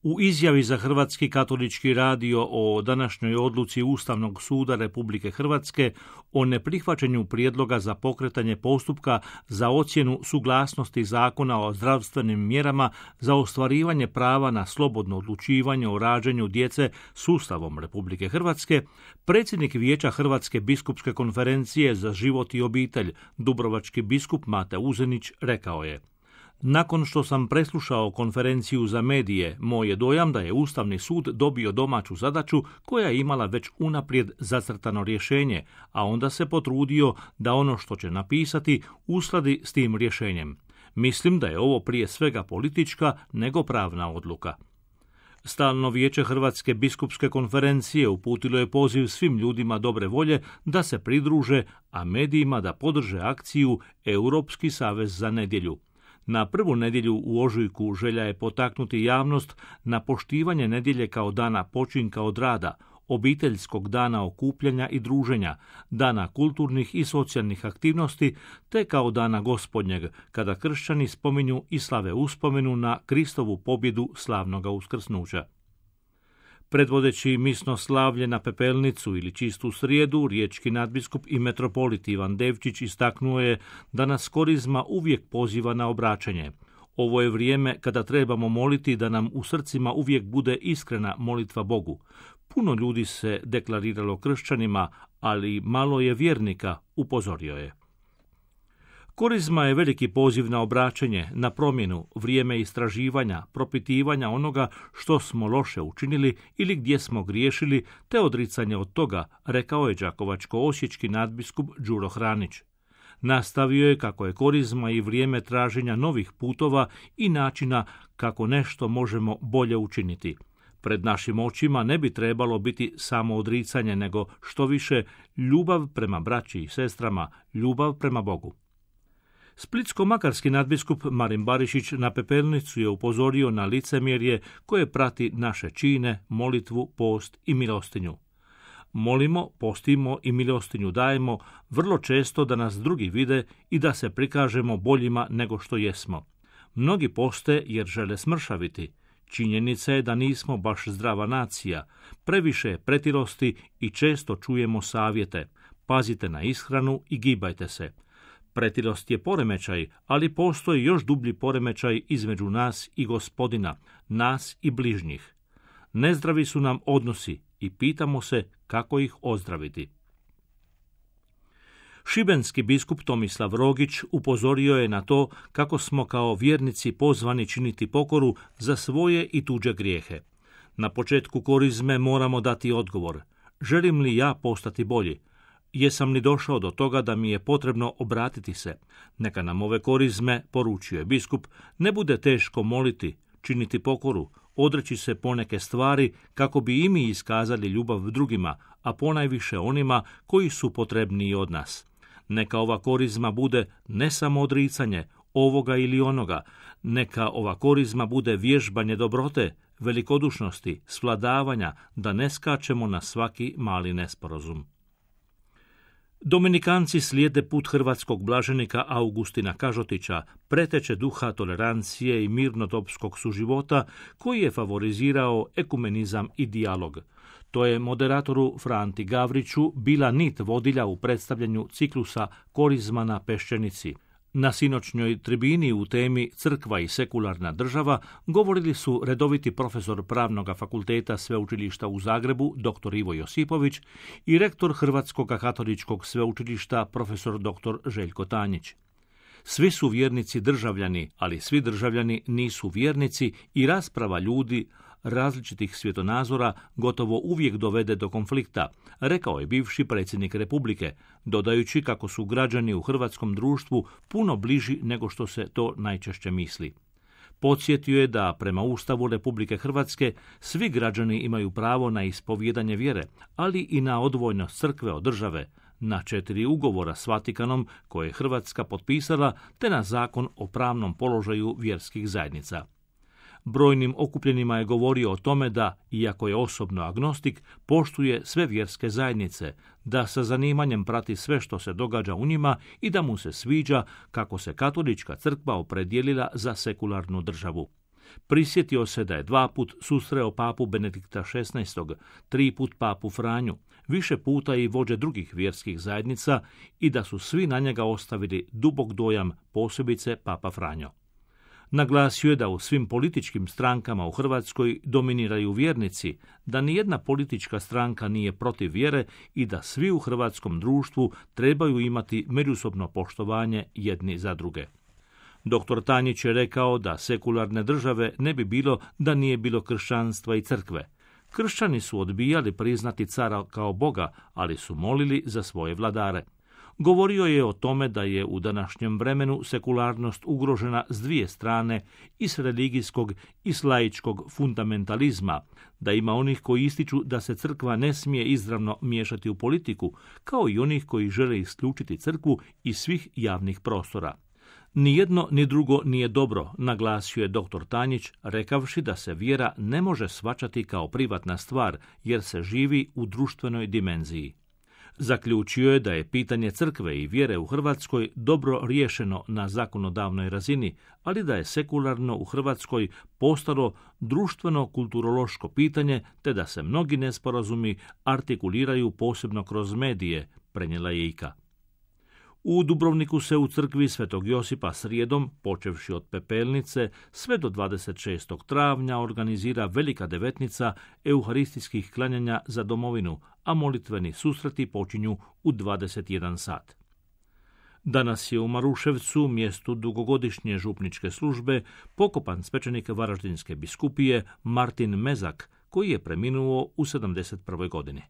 U izjavi za Hrvatski katolički radio o današnjoj odluci Ustavnog suda Republike Hrvatske o neprihvaćanju prijedloga za pokretanje postupka za ocjenu suglasnosti Zakona o zdravstvenim mjerama za ostvarivanje prava na slobodno odlučivanje o rađanju djece s Ustavom Republike Hrvatske, predsjednik Vijeća Hrvatske biskupske konferencije za život i obitelj, dubrovački biskup Mate Uzenić, rekao je: nakon što sam preslušao konferenciju za medije, moj je dojam da je Ustavni sud dobio domaću zadaću koja je imala već unaprijed zacrtano rješenje, a onda se potrudio da ono što će napisati uskladi s tim rješenjem. Mislim da je ovo prije svega politička nego pravna odluka. Stalno vijeće Hrvatske biskupske konferencije uputilo je poziv svim ljudima dobre volje da se pridruže, a medijima da podrže akciju Europski savez za nedjelju. Na prvu nedjelju u ožujku želja je potaknuti javnost na poštivanje nedjelje kao dana počinka od rada, obiteljskog dana okupljanja i druženja, dana kulturnih i socijalnih aktivnosti, te kao dana Gospodnjeg, kada kršćani spominju i slave uspomenu na Kristovu pobjedu slavnoga uskrsnuća. Predvodeći misno slavlje na Pepelnicu ili Čistu srijedu, riječki nadbiskup i metropolit Ivan Devčić istaknuo je da nas korizma uvijek poziva na obraćanje. Ovo je vrijeme kada trebamo moliti da nam u srcima uvijek bude iskrena molitva Bogu. Puno ljudi se deklariralo kršćanima, ali malo je vjernika, upozorio je. Korizma je veliki poziv na obraćanje, na promjenu, vrijeme istraživanja, propitivanja onoga što smo loše učinili ili gdje smo griješili, te odricanje od toga, rekao je đakovačko-osječki nadbiskup Đuro Hranić. Nastavio je kako je korizma i vrijeme traženja novih putova i načina kako nešto možemo bolje učiniti. Pred našim očima ne bi trebalo biti samo odricanje, nego što više ljubav prema braći i sestrama, ljubav prema Bogu. Splitsko-makarski nadbiskup Marin Barišić na Pepelnicu je upozorio na licemjerje koje prati naše čine, molitvu, post i milostinju. Molimo, postimo i milostinju dajemo vrlo često da nas drugi vide i da se prikažemo boljima nego što jesmo. Mnogi poste jer žele smršaviti. Činjenica je da nismo baš zdrava nacija, previše je pretilosti i često čujemo savjete. Pazite na ishranu i gibajte se. Pretilost je poremećaj, ali postoji još dublji poremećaj između nas i Gospodina, nas i bližnjih. Nezdravi su nam odnosi i pitamo se kako ih ozdraviti. Šibenski biskup Tomislav Rogić upozorio je na to kako smo kao vjernici pozvani činiti pokoru za svoje i tuđe grijehe. Na početku korizme moramo dati odgovor. Želim li ja postati bolji? Jesam li došao do toga da mi je potrebno obratiti se? Neka nam ove korizme, poručio je biskup, ne bude teško moliti, činiti pokoru, odreći se poneke stvari kako bi i mi iskazali ljubav drugima, a ponajviše onima koji su potrebniji od nas. Neka ova korizma bude ne samo odricanje ovoga ili onoga, neka ova korizma bude vježbanje dobrote, velikodušnosti, svladavanja, da ne skačemo na svaki mali nesporazum. Dominikanci slijede put hrvatskog blaženika Augustina Kažotića, preteče duha tolerancije i mirnodopskog suživota koji je favorizirao ekumenizam i dijalog. To je moderatoru Franti Gavriću bila nit vodilja u predstavljanju ciklusa Korizma na Peščenici. Na sinoćnjoj tribini u temi Crkva i sekularna država govorili su redoviti profesor Pravnog fakulteta Sveučilišta u Zagrebu dr. Ivo Josipović i rektor Hrvatskog katoličkog sveučilišta profesor dr. Željko Tanjić. Svi su vjernici državljani, ali svi državljani nisu vjernici i rasprava ljudi različitih svjetonazora gotovo uvijek dovede do konflikta, rekao je bivši predsjednik Republike, dodajući kako su građani u hrvatskom društvu puno bliži nego što se to najčešće misli. Podsjetio je da prema Ustavu Republike Hrvatske svi građani imaju pravo na ispovijedanje vjere, ali i na odvojnost crkve od države, na 4 ugovora s Vatikanom koje je Hrvatska potpisala, te na zakon o pravnom položaju vjerskih zajednica. Brojnim okupljenima je govorio o tome da, iako je osobno agnostik, poštuje sve vjerske zajednice, da sa zanimanjem prati sve što se događa u njima i da mu se sviđa kako se katolička crkva opredijelila za sekularnu državu. Prisjetio se da je 2 put susreo papu Benedikta XVI, 3 put papu Franju, više puta i vođe drugih vjerskih zajednica i da su svi na njega ostavili dubok dojam, posebice papa Franjo. Naglasio je da u svim političkim strankama u Hrvatskoj dominiraju vjernici, da nijedna politička stranka nije protiv vjere i da svi u hrvatskom društvu trebaju imati međusobno poštovanje jedni za druge. Dr. Tanjić je rekao da sekularne države ne bi bilo da nije bilo kršćanstva i crkve. Kršćani su odbijali priznati cara kao Boga, ali su molili za svoje vladare. Govorio je o tome da je u današnjem vremenu sekularnost ugrožena s dvije strane, i s religijskog i s laičkog fundamentalizma, da ima onih koji ističu da se crkva ne smije izravno miješati u politiku, kao i onih koji žele isključiti crkvu iz svih javnih prostora. Ni jedno ni drugo nije dobro, naglasio je dr. Tanjić, rekavši da se vjera ne može shvaćati kao privatna stvar, jer se živi u društvenoj dimenziji. Zaključio je da je pitanje crkve i vjere u Hrvatskoj dobro riješeno na zakonodavnoj razini, ali da je sekularno u Hrvatskoj postalo društveno-kulturološko pitanje, te da se mnogi nesporazumi artikuliraju posebno kroz medije, prenijela je IKA. U Dubrovniku se u crkvi Svetog Josipa srijedom, počevši od Pepelnice, sve do 26. travnja organizira velika devetnica euharistijskih klanjanja za domovinu, a molitveni susreti počinju u 21 sat. Danas je u Maruševcu, mjestu dugogodišnje župničke službe, pokopan svećenik Varaždinske biskupije Martin Mezak, koji je preminuo u 71. godini.